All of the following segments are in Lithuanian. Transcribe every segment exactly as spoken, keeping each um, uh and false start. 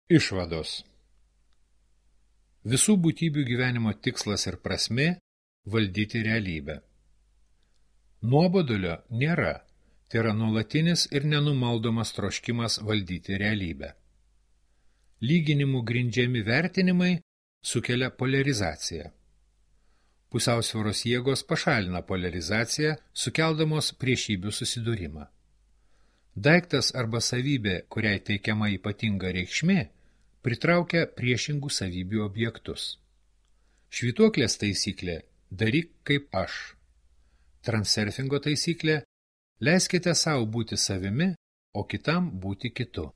Išvados. Visų būtybių gyvenimo tikslas ir prasmė – valdyti realybę. Nuobodulio nėra, tai yra nuolatinis ir nenumaldomas troškimas valdyti realybę. Lyginimų grindžiami vertinimai sukelia poliarizaciją. Pusiausvyros jėgos pašalina poliarizaciją, sukeldamos priešybių susidūrimą. Daiktas arba savybė, kuriai teikiama ypatinga reikšmė, pritraukia priešingų savybių objektus. Švytuoklės taisyklė – daryk kaip aš. Transurfingo taisyklė – leiskite savo būti savimi, o kitam būti kitu.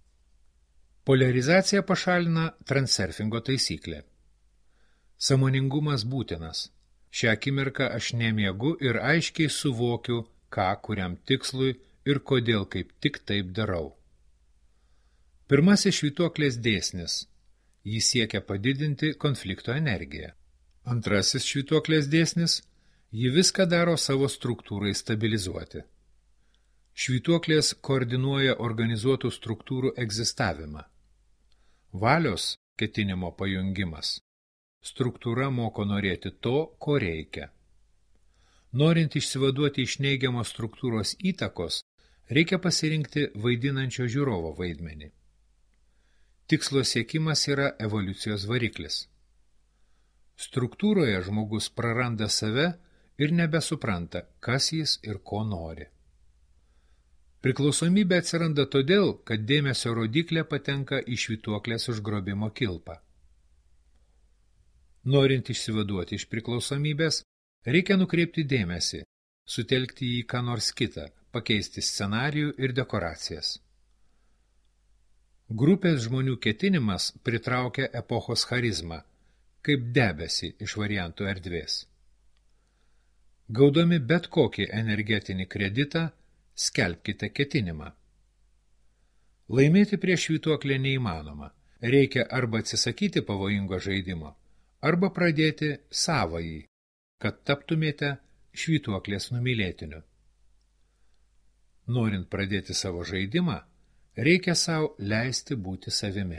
Poliarizacija pašalina transurfingo taisyklė. Sąmoningumas būtinas. Šią akimirką aš nemiegu ir aiškiai suvokiu, ką kuriam tikslui ir kodėl kaip tik taip darau. Pirmasis švytuoklės dėsnis. Jis siekia padidinti konflikto energiją. Antrasis švytuoklės dėsnis. Ji viską daro savo struktūrai stabilizuoti. Švytuoklės koordinuoja organizuotų struktūrų egzistavimą. Valios ketinimo pajungimas. Struktūra moko norėti to, ko reikia. Norint išsivaduoti iš neigiamos struktūros įtakos, reikia pasirinkti vaidinančio žiūrovo vaidmenį. Tikslo siekimas yra evoliucijos variklis. Struktūroje žmogus praranda save ir nebesupranta, kas jis ir ko nori. Priklausomybė atsiranda todėl, kad dėmesio rodiklė patenka į švytuoklės užgrobimo kilpą. Norint išsivaduoti iš priklausomybės, reikia nukreipti dėmesį, sutelkti jį ką nors kitą, pakeisti scenarijų ir dekoracijas. Grupės žmonių ketinimas pritraukia epochos charizmą, kaip debesį iš variantų erdvės. Gaudami bet kokį energetinį kreditą, skelbkite ketinimą. Laimėti prieš švytuoklę neįmanoma. Reikia arba atsisakyti pavojingo žaidimo, arba pradėti savąjį, kad taptumėte švytuoklės numylėtiniu. Norint pradėti savo žaidimą, reikia sau leisti būti savimi.